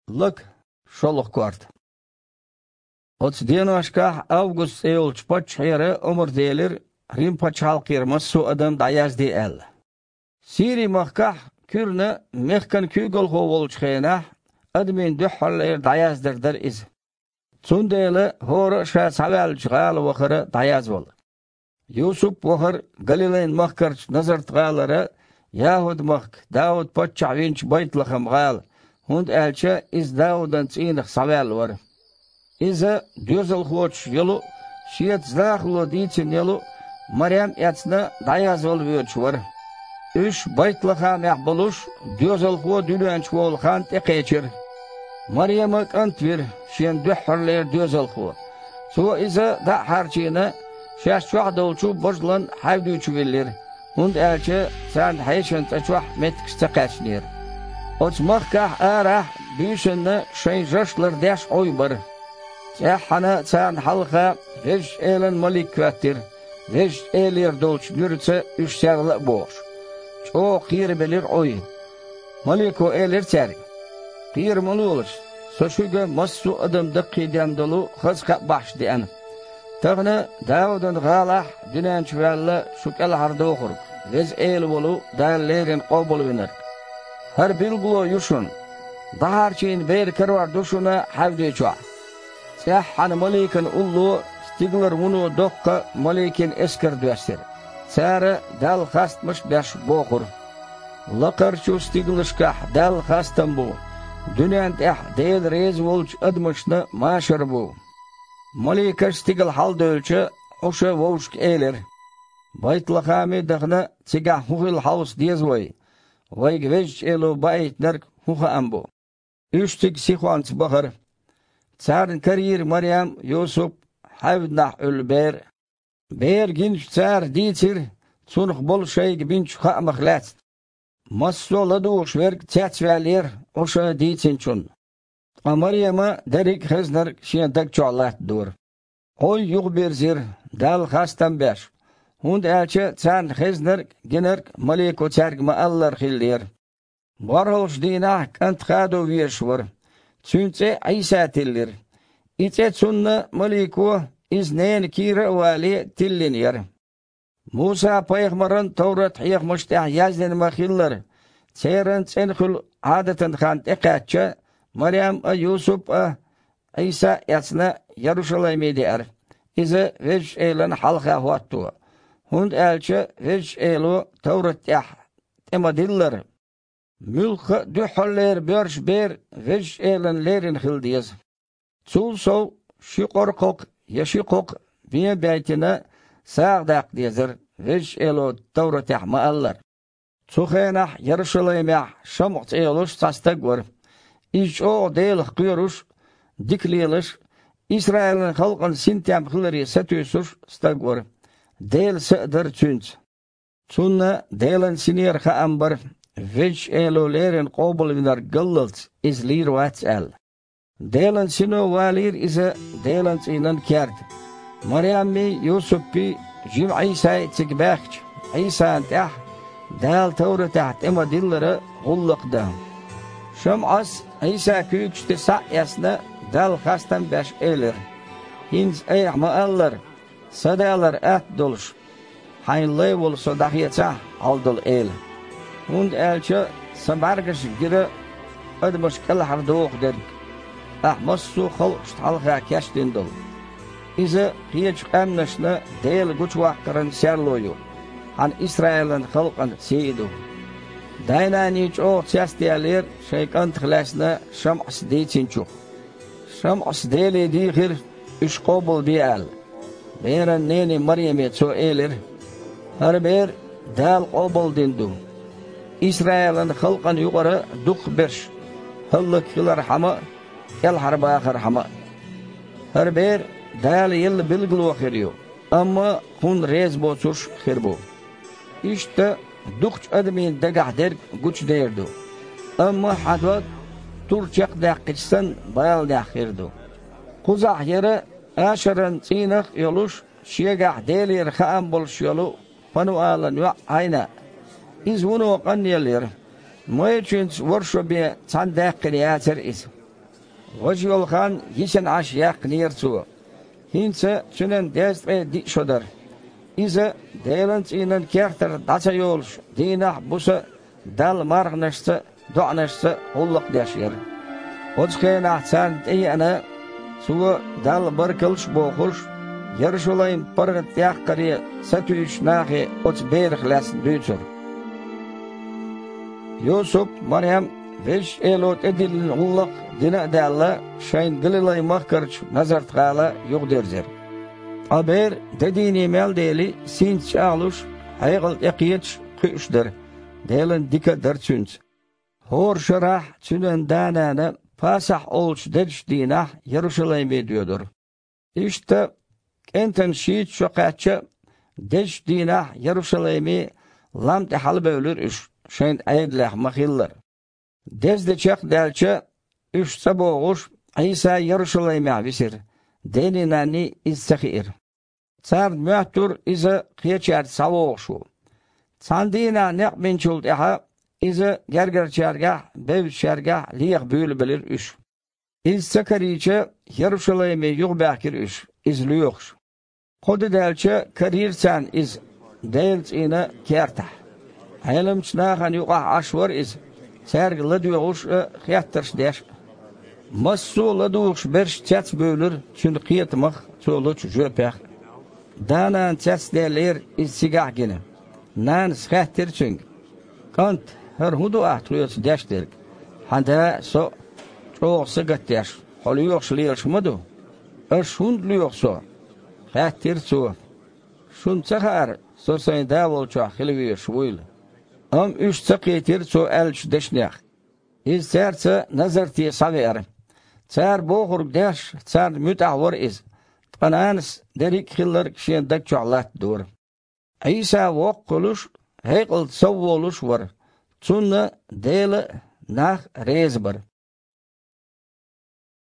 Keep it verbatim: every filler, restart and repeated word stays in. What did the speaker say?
Лака, шолгӀа корта. Оцу деношкахь Август цӀе йолчу паччахьера омра делира, Рим-пачхьалкхера массо а адам дӀаязде аьлла. Сири-махкахь куьйранна мехкан куьйгалхо волчу хенахь, адамийн дуьххьарлера дӀаяздар дара иза. Цундела хӀора а ша схьаваьллачу гӀала вахара дӀаязвала. Юсуп вахара Галилайн-махкарчу Назарт-гӀалара, ЯхӀуд-махка, Дауд-паччахь винчу Байт-Лахам-гӀала, хӀунда аьлча иза Даудан цӀийнах схьаваьлла вара. Иза доьзалхочуш йолу а, шеца захало дийцина йолу а Марем эцна дӀаязвала воьдуш вара. Уьш Байт-Лахамехь болуш, доьзалхо дуьнен чу волу хан тӀекхечира. Марема кӀант вира, шена дуьххьарлера доьзалхо. Цо иза дӀа а хьарчийна, шаьш чохь долчу божалан хьаьвди чу виллира, хӀунда аьлча царна хьешан цӀа чохь меттигаш ца кхаьчнера. Оцу махкахь арахь буьйсанна шайн жаш лардеш Ӏуй бара. ЦӀеххьана царна хьалха Везачу Элан малик хӀоьттира, Везачу Элера долчу нуьраца уьш серла а бохуш. ЧӀогӀа кхерабелира Ӏуй. Малико элира цаьрга: «Кхера ма лолаш, со шуьга массо а адам даккхийден долу хаза кхаъ бахьаш деана. Тахана Даудан гӀалахь дуьнен чу ваьлла шу кӀелхьардохург, Веза Эла волу Дала леррина къобалвинарг. ХӀара билгало ю шуна: дӀахьарчийна бер карор ду шуна хьаьвди чохь». ЦӀеххьана маликан улло стигалара вуно доккха маликийн эскар доьссира. Цара Далла хастамаш а беш бохура: «Лакхарчу стигалшкахь Далла хастам бу, дуьнен тӀехь Дела реза волчу адамашна машар бу». Маликаш стигала хьалдевлча, Ӏуша вовшашка элира: «Байт-Лахаме а дахана, цигахь хӀун хилла хьовса деза вай? Вайга Везачу Эло баийтинарг хӀун хаам бу?» Уьш цига сихонца бахара. Царна карийра Марем а, Юсуп а, хьаьвдинахь Ӏуьллу бер а. Бер гиначу цара дийцира цунах болу шайга бинчу хаамах лаьцна. Массо а ладугӀуш верг цецваьллера Ӏуша дийцинчунна. Ткъа Марема дерриг а хезнарг шен даг чохь латтадора. Ӏуй юхабирзира, Далла хастам беш, хӀунда аьлча царна хезнарг а, гинарг а малико цаьрга ма-аллара хиллера. БорхӀалгӀачу дийнахь кӀант хадо везаш вара. Цуьнан цӀе Ӏийса тиллира. И цӀе цунна малико, иза ненан кийра а вале, тиллина яра. Муса-пайхамаран товрат-хьехамаш тӀехь яздина ма-хиллара, церан цӀена хуьлу Ӏадатан хан тӀекхаьчча, Марем а, Юсуп а, Ӏийса а эцна, Ярушалайме деара. Иза Везачу Элана хьалха хӀотто, хӀунда аьлча Везачу Эло товрат тӀехь тӀе ма-диллара: «Муьлхха а дуьххьарлера боьрша бер Везачу Элана леррина хила деза». Цул сов ши къоркхалкх я ши кхокх бен а баьйтина, сагӀа даккха дезара, Везачу Эло товратехь ма-аллара. Цу хенахь Ярушалаймехь ШамӀа цӀе йолуш цхьа стаг вара. Иза чӀогӀа Делах кхоьруш а, дика лелаш а, Исраилан халкъан синтем хиларе сатуьйсуш а стаг вара. Делан са а дара цуьнца. Цунна Делан Синера хаам бара, Везачу Эло леррина къобалвинарг галлалц иза лийр вац аьлла. Делан Сино валийра иза Делан цӀийнан керта. Маряммий, Юсуппий, жима Ӏийсай цига баьхкича, Ӏийсана тӀехь Дала товратехь тӀе ма-диллара гӀуллакх дан. ШамӀас, Ӏийса куьйгаш тӀе схьа а эцна, Далла хастам а беш, элира: «ХӀинца айхьа ма-аллара, Сан Далар атта долуш, хьайна лай волу Со дӀахецахь, хьал долу Эла. ХӀунда аьлча Сан бӀаьргашна гира адамаш кӀелхьардоху дерг, Ахь массо а халкъашна хьалха кечдина долу. Иза кхечу къаьмнашна Дела гучуваккхаран серло ю, хьан Исраилан халкъан сий а ду». Дай-наний чӀогӀа цецдаьллера шайн кӀантах лаьцна ШамӀас дийцинчух. ШамӀас Деле дийхира, уьш къобалде аьлла. Беран нене Марьяме цо элира: «ХӀара бер Дала къобалдина ду, Исраилан халкъана юкъара дукхахберш хӀаллакьхилархьама а, кӀелхьарбахархьама а. ХӀара бер Дала елла билгало хир ю, амма хьуна реза боцурш а хир бу. Иштта дукхачу адамийн дагахь дерг гучудер ду, амма хьан дог тур чекхдаьккхича санна баланехь хир ду». Кхузахь яра Ашеран цӀийнах а йолуш, шегахь Делера хаам болуш йолу Пануалан йоӀ Ӏайна. Иза вуно къанъелла яра. Майрачуьнца ворхӀ шо бен цхьаьна даьккхина яцара иза. Важа йолу хан йисина Ӏаш яьккхинера цо. ХӀинца цуьнан дезткъе диъ шо дара. Иза Делан цӀийнан кертара дӀа ца йолуш, дийнахь а, буса а Далла марханашца а, доӀанашца а гӀуллакх деш яра. Оцу хенахь царна тӀееана, цо, Далла баркаллаш а бохуш, Ярушалайм паргӀат яккхаре сатуьйсучу нахе оцу берах лаьцна дуьйцура. Юсуп а, Марем а Везачу Эло тӀедиллина гӀуллакх дина а даьлла, шайна Галилай-махкарчу Назарт-гӀала юхадерзира. Ткъа бер де дийне мел дели, синца чӀагӀлуш, хьекъал тӀекхеташ кхуьуш дара, Делан дика а дара цуьнца. ХӀора шарахь цуьнан да-нана Пасахь олучу дезачу дийнахь Ярушалайме доьдура. Иштта, кӀентан шийтта шо кхаьчча а, дезачу дийнахь Ярушалайме лам тӀе хьалабевлира уьш, шайна Ӏедалехь ма-хиллара. Деза де чекхдаьлча, уьш цӀа богӀуш, Ӏийса Ярушалаймехь висира, дений-нанний иза ца хиира. Царна моьттура иза кхечаьрца схьавогӀуш ву. Цхьана дийнахь некъ бинчул тӀаьхьа иза гергарчаьргахь а, бевзачаьргахь а леха буьйлабелира уьш. Иза ца карийча, Ярушалайме юхабаьхкира уьш, иза лоьхуш. Кхо де даьлча, карийра царна иза Делан цӀийнан кертахь. Ӏеламчу нахана юкъахь Ӏаш вара иза, цаьрга ладоьгӀуш а, хеттарш деш а. Массо а ладугӀуш берш цецбуьйлура цуьнан кхетамах а, цо лучу жоьпех а. Да-нана цецдаьллера иза цигахь а гина. Нанас хаьттира цуьнга: «КӀант, хӀара хӀун ду ахь тхоьца деш дерг? Хьан да а, со а чӀогӀа сагатдеш, хьо лоьхуш лелаш ма ду?» «Аш хӀунда лоьху со?» — хаьттира цо. «Шуна ца хаьара, со сайн Да волчохь хила везаш вуйла?» Амма уьш ца кхийтира цо аьллачу дешнех. Иза цаьрца Назарте схьавеара. Цара бохург деш, царна муьтӀахь вара иза, ткъа нанас дерриг а хилларг шен даг чохь латтадора. Ӏийса воккха хуьлуш, хьекъалца сов волуш а вара. Цунна Дела а, нах а реза бара.